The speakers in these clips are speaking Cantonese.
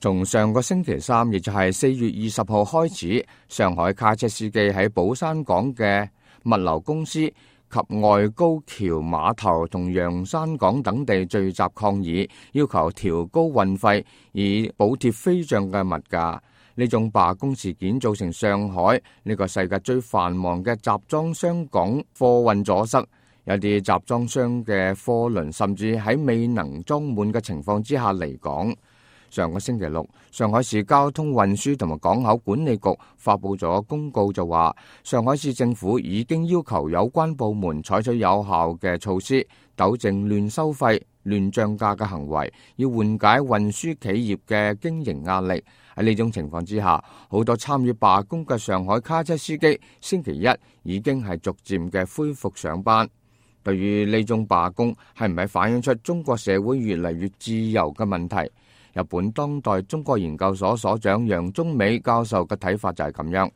從上個星期三，亦就係4月20號開始，上海卡車司機喺寶山港嘅物流公司及外高橋碼頭同洋山港等地聚集抗議，要求調高運費以補貼飛漲嘅物價。呢種罷工事件造成上海呢個世界最繁忙嘅集裝箱港貨運阻塞，有啲集裝箱嘅貨輪甚至喺未能裝滿嘅情況之下離港。上個星期六，上海市交通運輸同埋港口管理局發佈咗公告，就話上海市政府已經要求有關部門採取有效嘅措施，糾正亂收費、亂漲價嘅行為，要緩解運輸企業嘅經營壓力。喺呢種情況之下，好多參與罷工嘅上海卡車司機星期一已經係逐漸嘅恢復上班。對於呢種罷工係唔係反映出中國社會越嚟越自由嘅問題？日本當代中國研究所所長楊中美教授嘅睇法就係咁樣。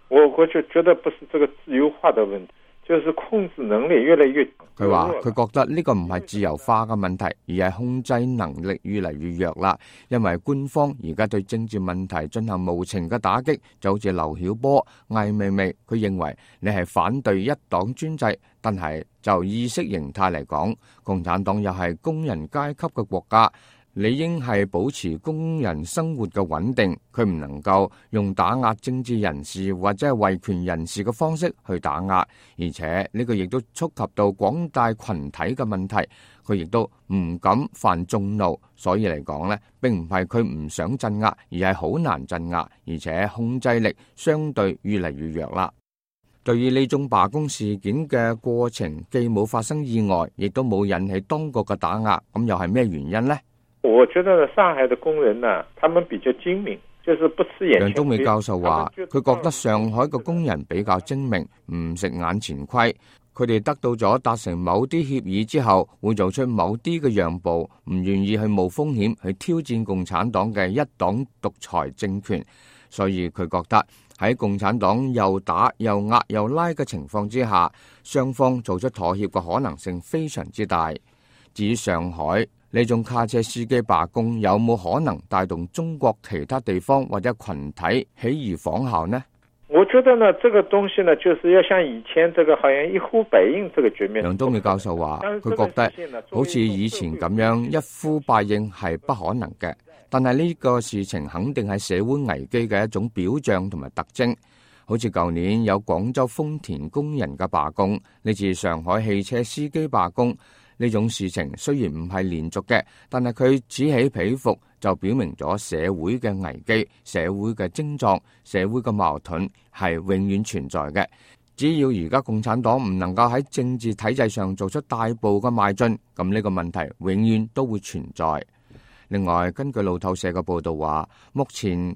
我就覺得不是這個自由化的問題，就是控制能力越來越強。佢話佢覺得呢個唔係自由化嘅問題，而係控制能力越嚟越弱啦。因為官方而家對政治問題進行無情嘅打擊，就好似劉曉波、艾未未，佢認為你係反對一黨專制，但係就意識形態嚟講，共產黨又係工人階級嘅國家。理應係保持工人生活嘅穩定，佢唔能夠用打壓政治人士或者係維權人士嘅方式去打壓，而且呢個亦都觸及到廣大群體嘅問題，佢亦都唔敢犯眾怒，所以嚟講呢，並唔係佢唔想鎮壓，而係好難鎮壓，而且控制力相對越嚟越弱啦。對於呢種罷工事件嘅過程，既冇發生意外，亦都冇引起當局嘅打壓，咁又係咩原因呢？我覺得上海的工人呢，他們比較精明，就是不吃眼前虧。楊中美教授話，佢覺得上海嘅工人比較精明，唔食眼前虧。佢哋得到咗達成某啲協議之後，會做出某啲嘅讓步，唔願意去冒風險去挑戰共產黨嘅一黨獨裁政權。所以佢覺得喺共產黨又打又壓又拉嘅情況之下，雙方做出妥協嘅可能性非常之大。至於上海呢種卡車司機罷工有冇可能帶動中國其他地方或者群體起而仿效呢？我覺得呢，這個東西呢，就是要像以前這個好像一呼百應這個局面。楊東美教授話，佢覺得好似以前咁樣一呼百應係不可能嘅，但係呢個事情肯定係社會危機嘅一種表象同埋特徵。好似舊年有廣州豐田工人嘅罷工，呢次上海汽車司機罷工。呢種事情雖然唔係連續嘅，但係佢此起彼伏，就表明咗社會嘅危機、社會嘅症狀、社會嘅矛盾係永遠存在嘅。只要而家共產黨唔能夠喺政治體制上做出大步嘅邁進，咁呢個問題永遠都會存在。另外，根據路透社嘅報道話，目前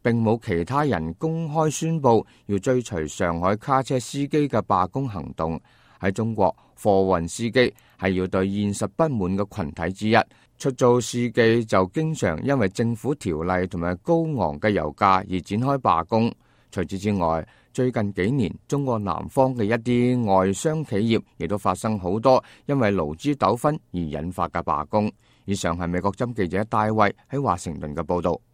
並冇其他人公開宣佈要追隨上海卡車司機嘅罷工行動。喺中國，貨運司機係要對現實不滿嘅群體之一，出租司機就經常因為政府條例同埋高昂嘅油價而展開罷工。除此之外，最近幾年中國南方嘅一啲外商企業亦都發生好多因為勞資糾紛而引發嘅罷工。以上係美國之音記者戴衛喺華盛頓嘅報道。